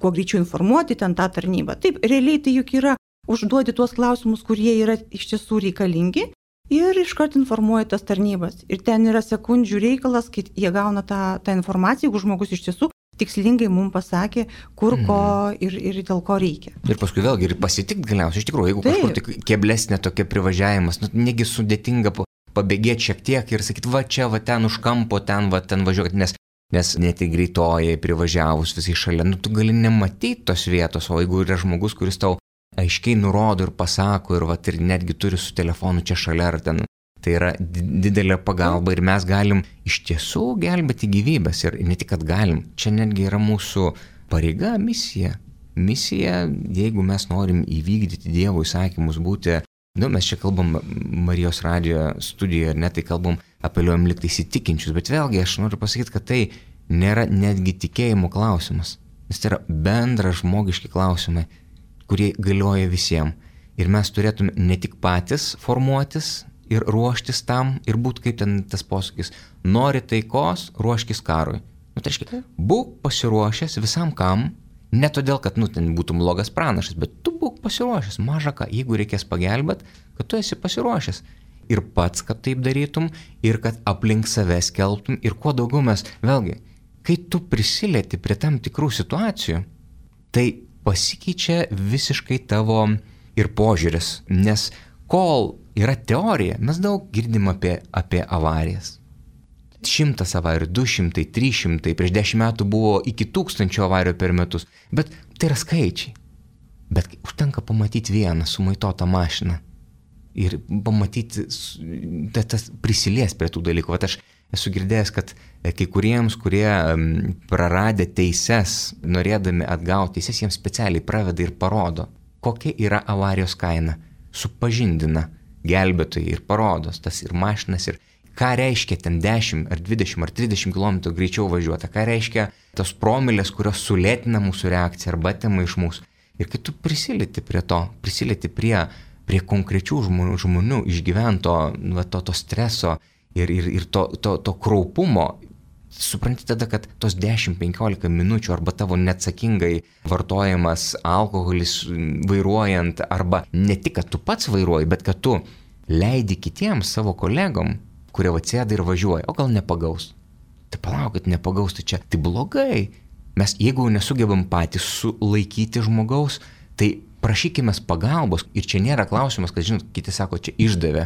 kuo greičiau informuoti ten tą tarnybą. Taip, realiai tai juk yra užduoti tuos klausimus, kurie yra iš tiesų reikalingi. Ir iškart informuoja tas tarnybas. Ir ten yra sekundžių reikalas, kai jie gauna tą informaciją, jeigu žmogus iš tiesų tikslingai mums pasakė, kur ko ir dėl ko reikia. Ir paskui vėlgi ir pasitikti galiausiai. Iš tikrųjų, jeigu kažkur tik keblesnė tokia privažiavimas, negi sudėtinga pabėgėti šiek tiek ir sakyti, va čia, va ten už kampo, ten važiuoti, nes net į greitoje privažiavus visai šalia, tu gali nematyti tos vietos, o jeigu yra žmogus, kuris tau aiškiai nurodo ir pasako ir netgi turi su telefonu čia šalia ar ten. Tai yra didelė pagalba ir mes galim iš tiesų gelbėti gyvybės ir ne tik, kad galim, čia netgi yra mūsų pareiga, misija. Misija, jeigu mes norim įvykdyti Dievo įsakymus, būti, mes čia kalbam Marijos radijo studijoje, tai kalbam, apeliuojam liktai įsitikinčius, bet vėlgi aš noriu pasakyti, kad tai nėra netgi tikėjimo klausimas, nes tai yra bendra žmogiški klausimai, kurie galioja visiems. Ir mes turėtume ne tik patys formuotis ir ruoštis tam ir būti kaip ten tas posakis, nori taikos, ruoškis karui. Tai reiškia, būk pasiruošęs visam kam, ne todėl, kad ten būtum blogas pranašas, bet tu būk pasiruošęs, maža ką, jeigu reikės pagelbėt, kad tu esi pasiruošęs. ir pats, kad taip darytum, ir kad aplink save skelbtum, ir kuo daugiau mes, vėlgi, kai tu prisilieti prie tam tikrų situacijų, tai pasikeičia visiškai tavo ir požiūris, nes kol yra teorija, mes daug girdim apie avarijas. 100 avarijų, 200, 300, prieš 10 metų buvo iki 1000 avarijų per metus, bet tai yra skaičiai. Bet užtenka pamatyti vieną sumaitotą mašiną ir pamatyti, tas prisilies prie tų dalykų. Vat aš esu girdėjęs, kad kai kuriems, kurie praradę teises, norėdami atgauti teises, jiems specialiai praveda ir parodo, kokia yra avarijos kaina. Supažindina gelbėtojai ir parodos tas ir mašinas, ir ką reiškia ten 10 ar 20 ar 30 km greičiau važiuoti, ką reiškia tos promilės, kurios sulėtina mūsų reakciją arba atima iš mūsų. Ir kai tu prisilieti prie to, prisilieti prie konkrečių žmonių išgyvento to streso ir to kraupumo, supranti tada, kad tos 10-15 minučių arba tavo neatsakingai vartojamas alkoholis vairuojant, arba ne tik, kad tu pats vairuoji, bet kad tu leidi kitiems savo kolegom, kurie atsėda ir važiuoja, o gal nepagaus. Tai palaukit, nepagaus, tai čia, tai blogai. Mes, jeigu nesugebam patys sulaikyti žmogaus, tai prašykime pagalbos. Ir čia nėra klausimas, kad, žinot, kiti sako, čia išdavė.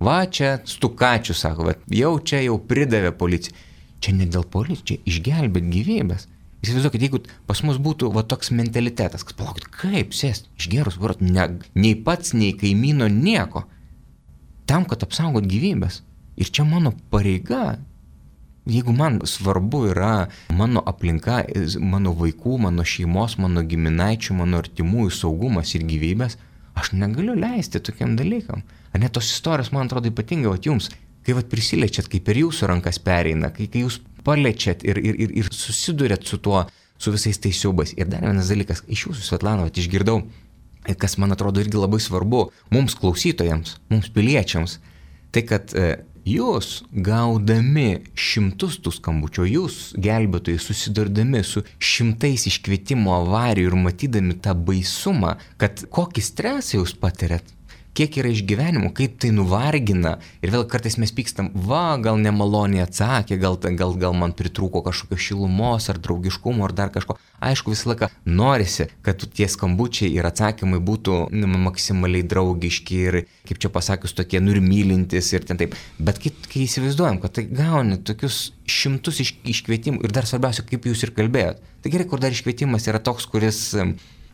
Va, čia stukačių, sako, va, jau pridavė policija. Čia ne dėl policijos, čia išgelbėt gyvybės. Įsivaizduokit, jeigu pas mus būtų va toks mentalitetas, kad palaukit, kaip sėst, išgerus varot, nei pats, nei kaimyno, nieko. Tam, kad apsaugot gyvybės. Ir čia mano pareiga, jeigu man svarbu yra mano aplinka, mano vaikų, mano šeimos, mano giminaičių, mano artimųjų saugumas ir gyvybės, aš negaliu leisti tokiam dalykam. Ar ne tos istorijos, man atrodo, ypatingai jums, kai prisiliečiat, kai per jūsų rankas pereina, kai jūs paliečiat ir susidurėt su tuo, su visais tais siaubais. Ir dar vienas dalykas, iš jūsų, Svetlana, išgirdau, kas man atrodo irgi labai svarbu mums klausytojams, mums piliečiams, tai kad jūs gaudami šimtus tų skambučių, jūs gelbėtojai susidurdami su šimtais iškvietimo avarijų ir matydami tą baisumą, kad kokį stresą jūs patiriat, kiek yra išgyvenimų, kaip tai nuvargina. Ir vėl kartais mes pykstam, gal nemaloniai atsakė, gal man pritrūko kažkokio šilumos ar draugiškumo ar dar kažko. Aišku, visą laiką norisi, kad tie skambučiai ir atsakymai būtų maksimaliai draugiški ir, kaip čia pasakius, tokie mylintis ir ten taip. Bet kai įsivaizduojam, kad tai gauni tokius šimtus iškvietimų ir dar svarbiausia, kaip jūs ir kalbėjot. Tai gerai, kur dar iškvietimas yra toks, kuris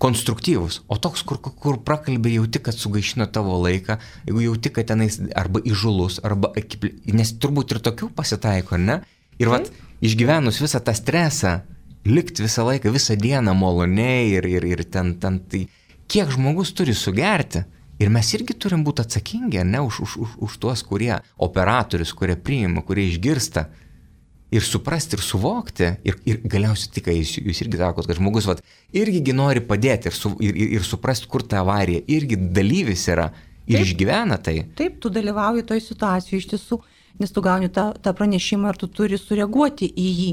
konstruktyvus, o toks, kur prakalbė jauti, kad sugaišino tavo laiką, jeigu jauti, kad tenais arba įžulus, arba nes turbūt ir tokių pasitaiko, ne? Ir vat, išgyvenus visą tą stresą, likti visą laiką, visą dieną maloniai ir ten, tai kiek žmogus turi sugerti. Ir mes irgi turim būti atsakingi, ne, už tuos, kurie operatorius, kurie priima, kurie išgirsta. Ir suprasti, ir suvokti, ir galiausiai tik, jūs irgi sakot, kad žmogus irgi nori padėti ir suprasti, kur ta avarija, irgi dalyvis yra ir taip, išgyvena tai. Taip, tu dalyvauji toj situacijoje iš tiesų, nes tu gauni tą pranešimą ir tu turi sureaguoti į jį.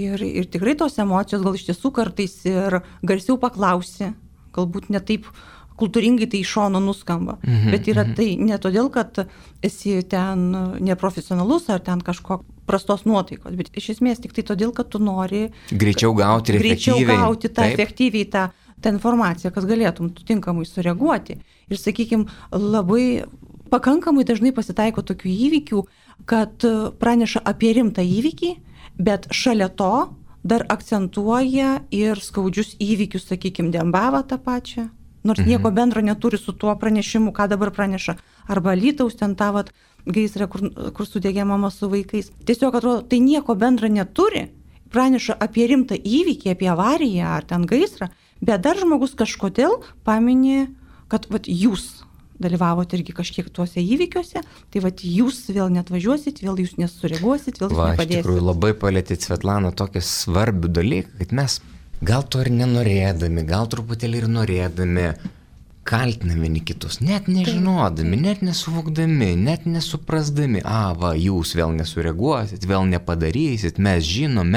Ir tikrai tos emocijos gal iš tiesų kartais ir garsiau paklausi, galbūt ne taip kultūringai tai iš šono nuskamba, bet yra tai ne todėl, kad esi ten neprofesionalus ar ten kažko prastos nuotaikos, bet iš esmės tik tai todėl, kad tu nori greičiau gauti efektyviai tą informaciją, kas galėtum tinkamai sureaguoti. Ir sakykime, labai pakankamai dažnai pasitaiko tokių įvykių, kad praneša apie rimtą įvykį, bet šalia to dar akcentuoja ir skaudžius įvykius, sakykime, Dembavą tą pačią. Nors nieko bendro neturi su tuo pranešimu, ką dabar praneša. Arba Alytaus ten tą gaisrą, kur sudegė mama su vaikais. Tiesiog atrodo, tai nieko bendro neturi. Praneša apie rimtą įvykį, apie avariją ar ten gaisrą, bet dar žmogus kažkodėl paminė, kad jūs dalyvavote irgi kažkiek tuose įvykiuose, tai jūs vėl neatvažiuosit, vėl jūs nesureaguosit, vėl jūs nepadėsit. Iš tikrųjų labai palėtėt, Svetlana, tokį svarbių dalykų, kad mes gal to ir nenorėdami, gal truputėlį ir norėdami, kaltiname vieni kitus, net nežinodami, net nesuvokdami, net nesuprasdami, jūs vėl nesureaguosit, vėl nepadarysit, mes žinom,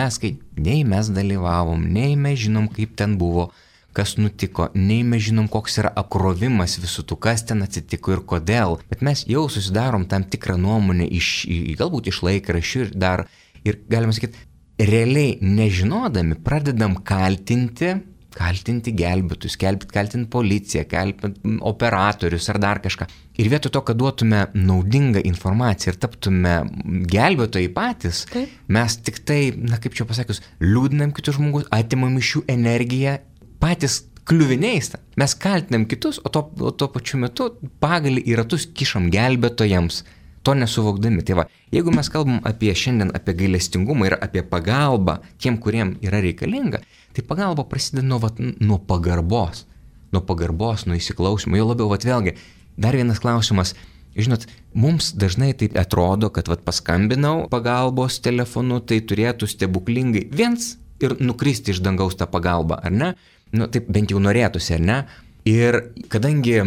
nei mes dalyvavom, nei mes žinom, kaip ten buvo, kas nutiko, nei mes žinom, koks yra apkrovimas visų tų, kas ten atsitiko ir kodėl. Bet mes jau susidarom tam tikrą nuomonę galbūt iš laikraščių ir dar, ir galima sakyti, realiai nežinodami pradedam kaltinti gelbėtus, kaltinti policiją, kaltinti operatorius ar dar kažką. Ir vietoj to, kad duotume naudingą informaciją ir taptume gelbėtojai patys, mes tik tai, kaip čia pasakius, liūdinam kitus žmogus, atimam iš jų energiją, patys kliuviniais. Mes kaltinam kitus, o tuo pačiu metu pagalį į ratus kišam gelbėtojams, to nesuvokdami. Tai va, jeigu mes kalbam šiandien apie gailestingumą ir apie pagalbą tiem, kuriem yra reikalinga, tai pagalba prasideda nuo pagarbos, nuo įsiklausimo. Jau labiau, vėlgi, dar vienas klausimas. Žinot, mums dažnai tai atrodo, kad paskambinau pagalbos telefonu, tai turėtų stebuklingai viens ir nukristi iš dangaus tą pagalbą, ar ne? Taip bent jau norėtųsi, ar ne? Ir kadangi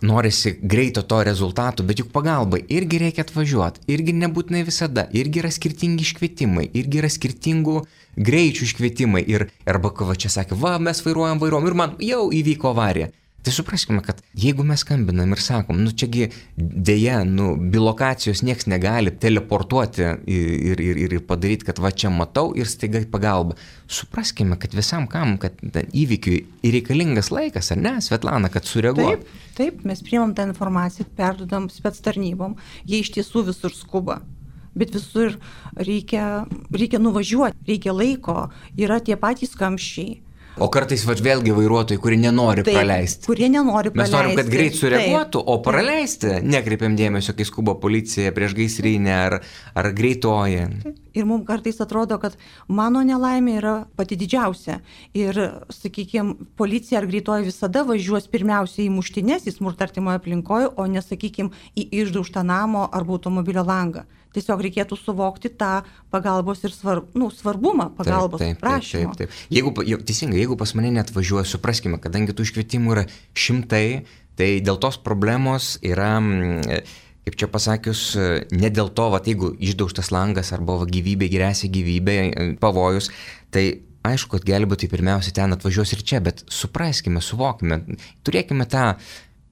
norisi greito to rezultatų, bet juk pagalbai irgi reikia atvažiuoti, irgi nebūtinai visada, irgi yra skirtingi iškvietimai, irgi yra skirtingų greičių iškvietimai arba čia sakė, mes vairuojam ir man jau įvyko avarija. Tai supraskime, kad jeigu mes skambinam ir sakom, čiagi dėja, bilokacijos nieks negali teleportuoti ir padaryti, kad čia matau ir staiga pagalba. Supraskime, kad visam kam, kad įvykiui reikalingas laikas, ar ne, Svetlana, kad sureaguotų. Taip, mes priimam tą informaciją, perdodam spec tarnybom, jie iš tiesų visur skuba. Bet visur reikia nuvažiuoti, reikia laiko, yra tie patys kamščiai. O kartais vėlgi vairuotojai, kurie nenori praleisti. Mes norim, kad greit sureaguotų, o praleisti nekreipiam dėmesio, kai skuba policija, priešgaisrinė ar greitoji. Ir mums kartais atrodo, kad mano nelaimė yra pati didžiausia. Ir, sakykime, policija ar greitoji visada važiuos pirmiausia į muštines, į smurtą artimoje aplinkoje, o ne, sakykime, į išdaužtą namo arba automobilio langą. Tiesiog reikėtų suvokti tą pagalbos ir svarbumą pagalbos prašymo. Taip. Jeigu pas mane neatvažiuoja, supraskime, kadangi tų iškvietimų yra šimtai, tai dėl tos problemos yra, kaip čia pasakius, ne dėl to, jeigu išdaužtas langas arba gyvybė, grėsia gyvybė, pavojus, tai aišku, kad gelbėtojai pirmiausia ten atvažiuos ir čia, bet supraskime, suvokime, turėkime tą,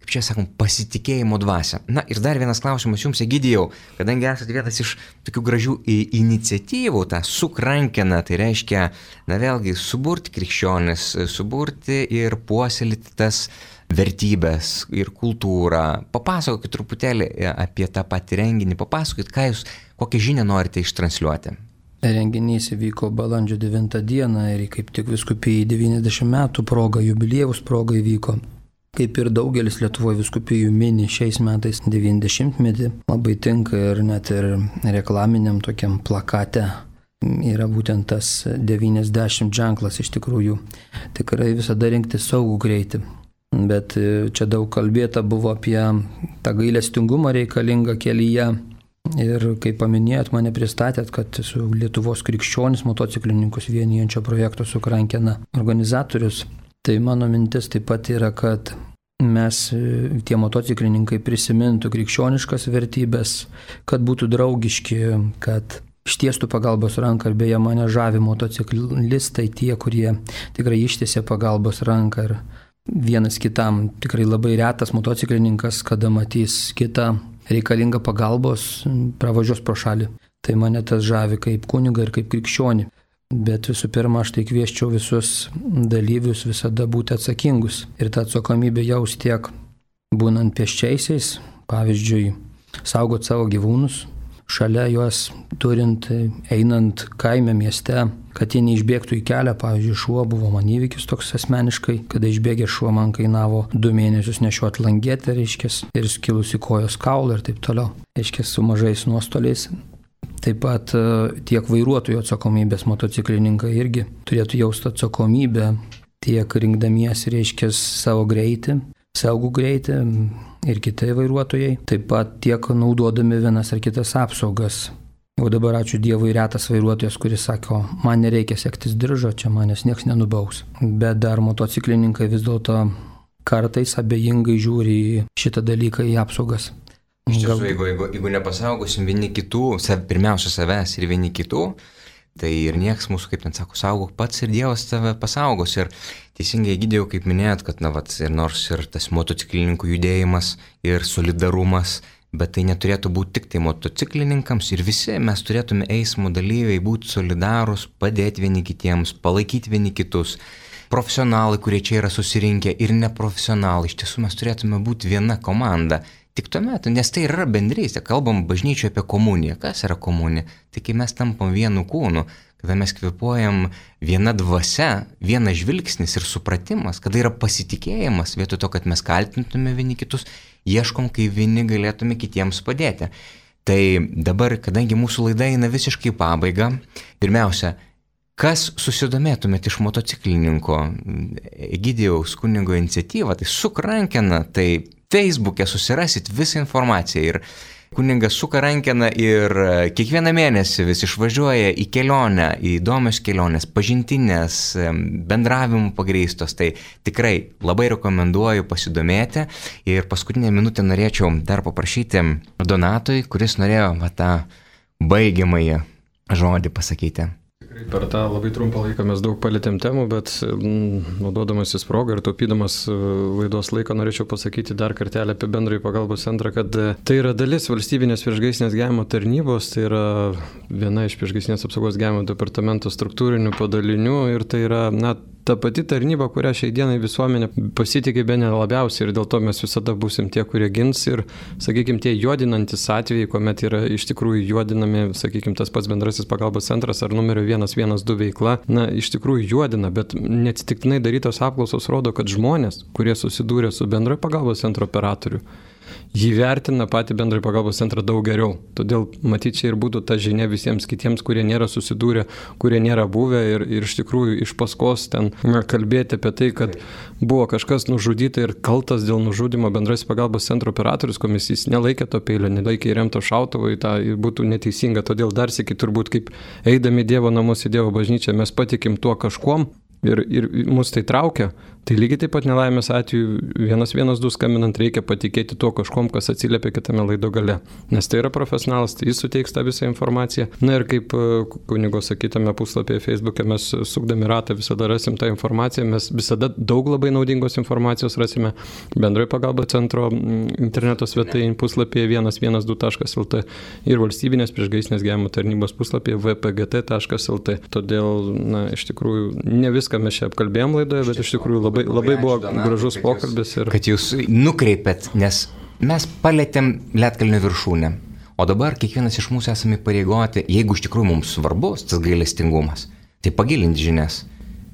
kaip čia sakom, pasitikėjimo dvasią. Ir dar vienas klausimas jums, Egidijau, kadangi esate vienas iš tokių gražių iniciatyvų, tą sukrankeną, tai reiškia, vėlgi, suburti krikščionis, suburti ir puoselėti tas vertybės ir kultūrą. Papasakokit truputėlį apie tą patį renginį, papasakokit, kokią žinią norite ištransliuoti. Renginys įvyko balandžio 9 dieną ir kaip tik vyskupijai 90 metų proga, jubiliejaus proga įvyko. Kaip ir daugelis Lietuvoje vyskupijų mini šiais metais 90-metį, labai tinka ir net ir reklaminiam tokiam plakate yra būtent tas 90 ženklas iš tikrųjų. Tikrai visada rinkti saugų greitį. Bet čia daug kalbėta buvo apie tą gailestingumą reikalingą kelyje. Ir kaip paminėjot, mane pristatėt, kad esu Lietuvos krikščionis motociklininkus vienijančio projekto Sukrankena organizatorius. Tai mano mintis taip pat yra, kad mes, tie motociklininkai, prisimintų krikščioniškas vertybės, kad būtų draugiški, kad ištiestų pagalbos ranką. Ir beje, mane žavi motociklistai, tie, kurie tikrai ištiesia pagalbos ranką. Ir vienas kitam tikrai labai retas motociklininkas, kada matys kitą reikalingą pagalbos, pravažiuos pro šalį. Tai mane tas žavi kaip kunigą ir kaip krikščionį. Bet visų pirma, aš tai kvieščiau visus dalyvius visada būti atsakingus. Ir tą atsakomybę jaus tiek būnant pėsčiaisiais, pavyzdžiui, saugot savo gyvūnus, šalia juos turint, einant kaime mieste, kad jie neišbėgtų į kelią. Pavyzdžiui, šuo buvo man įvykis toks asmeniškai, kada išbėgė šuo man kainavo 2 mėnesius nešiuot langetę, reiškės, ir skilusi kojos kaulą ir taip toliau, reiškės, su mažais nuostoliais. Taip pat tiek vairuotojų atsakomybės motociklininkai irgi turėtų jausti atsakomybę tiek rinkdamiesi, reiškia, savo greitį, saugų greitį ir kitai vairuotojai, taip pat tiek naudodami vienas ar kitas apsaugas. O dabar ačiū Dievui retas vairuotojas, kuris sako, man nereikia sektis diržo, čia manęs nieks nenubaus. Bet dar motociklininkai vis dėlto kartais abejingai žiūri į šitą dalyką, į apsaugas. Iš tiesų, jeigu nepasaugosim vieni kitų, pirmiausia savęs ir vieni kitų, Tai ir nieks mūsų, kaip ten sako, saugok pats ir Dievas tave pasaugos. Ir teisingai, Egidijau, kaip minėjot, kad ir nors ir tas motociklininkų judėjimas ir solidarumas, bet tai neturėtų būti tik tai motociklininkams ir visi mes turėtume eismo dalyviai būti solidarūs, padėti vieni kitiems, palaikyti vieni kitus. Profesionalai, kurie čia yra susirinkę ir neprofesionalai, iš tiesų mes turėtume būti viena komanda. Tik tuomet, nes tai yra bendrystė, kalbam bažnyčioje apie komuniją. Kas yra komunija? Tai kai mes tampam vienu kūnu, kada mes kvėpuojam viena dvasia, vienas žvilgsnis ir supratimas, kada yra pasitikėjimas, vietoj to, kad mes kaltintume vieni kitus, ieškom, kai vieni galėtume kitiems padėti. Tai dabar, kadangi mūsų laida eina visiškai pabaigą, pirmiausia, kas susidomėtumėt iš motociklininko Egidijaus kunigo iniciatyvą, tai suk rankeną, tai Facebook'e susirasit visą informaciją ir kunigas suka rankeną ir kiekvieną mėnesį vis išvažiuoja į kelionę, į įdomias keliones, pažintinės, bendravimų pagrįstos. Tai tikrai labai rekomenduoju pasidomėti. Ir paskutinę minutę norėčiau dar paprašyti Donatui, kuris norėjo tą baigiamąjį žodį pasakyti. Per tą labai trumpą laiką mes daug palėtėm temų, bet naudodamasis progą ir taupydamas laidos laiką norėčiau pasakyti dar kartelį apie bendrąjį pagalbos centrą, kad tai yra dalis valstybinės priešgaisrinės gelbėjimo tarnybos, tai yra viena iš priešgaisrinės apsaugos gelbėjimo departamento struktūrinių padalinių ir tai yra, ta pati tarnyba, kurią šiai dienai visuomenė pasitikė bene labiausiai ir dėl to mes visada būsim tie, kurie gins ir, sakykime, tie juodinantis atvejai, kuomet yra iš tikrųjų juodinami, sakykime, tas pats bendrasis pagalbos centras ar numerio 112 veikla, iš tikrųjų juodina, bet neatsitiktinai darytos apklausos rodo, kad žmonės, kurie susidūrė su bendrojo pagalbos centro operatoriu, jį vertina patį bendrąjį pagalbos centrą daug geriau. Todėl matyti čia ir būtų ta žinia visiems kitiems, kurie nėra susidūrę, kurie nėra buvę ir iš tikrųjų iš paskos ten kalbėti apie tai, kad buvo kažkas nužudyta ir kaltas dėl nužudimo bendrasis pagalbos centro operatorius, kuomet jis nelaikė to peilio, nelaikė įremto šautuvo, tai būtų neteisinga. Todėl dar sykį turbūt kaip eidami Dievo namus į Dievo bažnyčią mes patikim tuo kažkuom ir mus tai traukia. Tai lygiai taip pat nelaimės atveju 112 skambinant reikia patikėti tuo kažkom, kas atsiliepia kitame laido gale. Nes tai yra profesionalas, tai jis suteiks tą visą informaciją. Na ir kaip kunigo sakytame puslapyje Facebook'e, mes sukdami ratą visada rasim tą informaciją, mes visada daug labai naudingos informacijos rasime bendrojo pagalbos centro interneto svetainėje puslapyje 112.lt ir valstybinės priešgaisrinės gelbėjimo tarnybos puslapyje vpgt.lt. Todėl, iš tikrųjų, ne viską mes čia apkalbėjom laidoje, bet iš tikrųjų labai buvo gražus pokalbis. Kad jūs nukreipėt, nes mes palėtėm Lietkalnio viršūnę, o dabar kiekvienas iš mūsų esame pareigoti, jeigu iš tikrųjų mums svarbus tas gailestingumas, tai pagilinti žinias,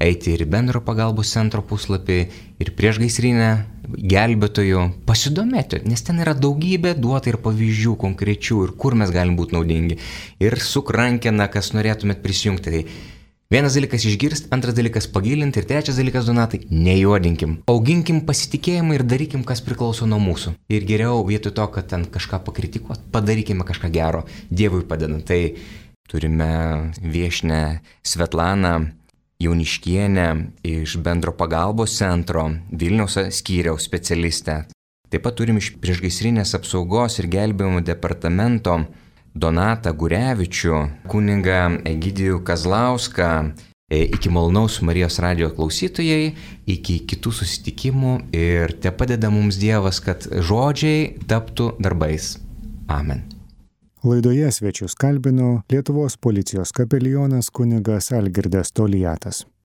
eiti ir bendro pagalbos centro puslapį, ir priešgaisrinę gelbėtojų, pasidomėti, nes ten yra daugybė duota ir pavyzdžių konkrečių ir kur mes galim būti naudingi. Ir suk rankeną, kas norėtumėt prisijungti. Tai vienas dalykas išgirsti, antras dalykas pagilinti ir trečias dalykas, Donatai, nejuodinkim. Auginkim pasitikėjimą ir darykim, kas priklauso nuo mūsų. Ir geriau vietoj to, kad ten kažką pakritikuot, padarykime kažką gero, Dievui padedant. Tai turime viešinę Svetlaną Jauniškienę iš bendro pagalbos centro Vilniaus skyriaus specialistę. Taip pat turim iš priešgaisrinės apsaugos ir gelbėjimo departamento Donatą Gurevičių, kunigą Egidijų Kazlauską. Iki malonaus Marijos radijo klausytojai, iki kitų susitikimų ir te padeda mums Dievas, kad žodžiai taptų darbais. Amen. Laidoje svečius kalbino Lietuvos policijos kapelionas kunigas Algirdas Toliatas.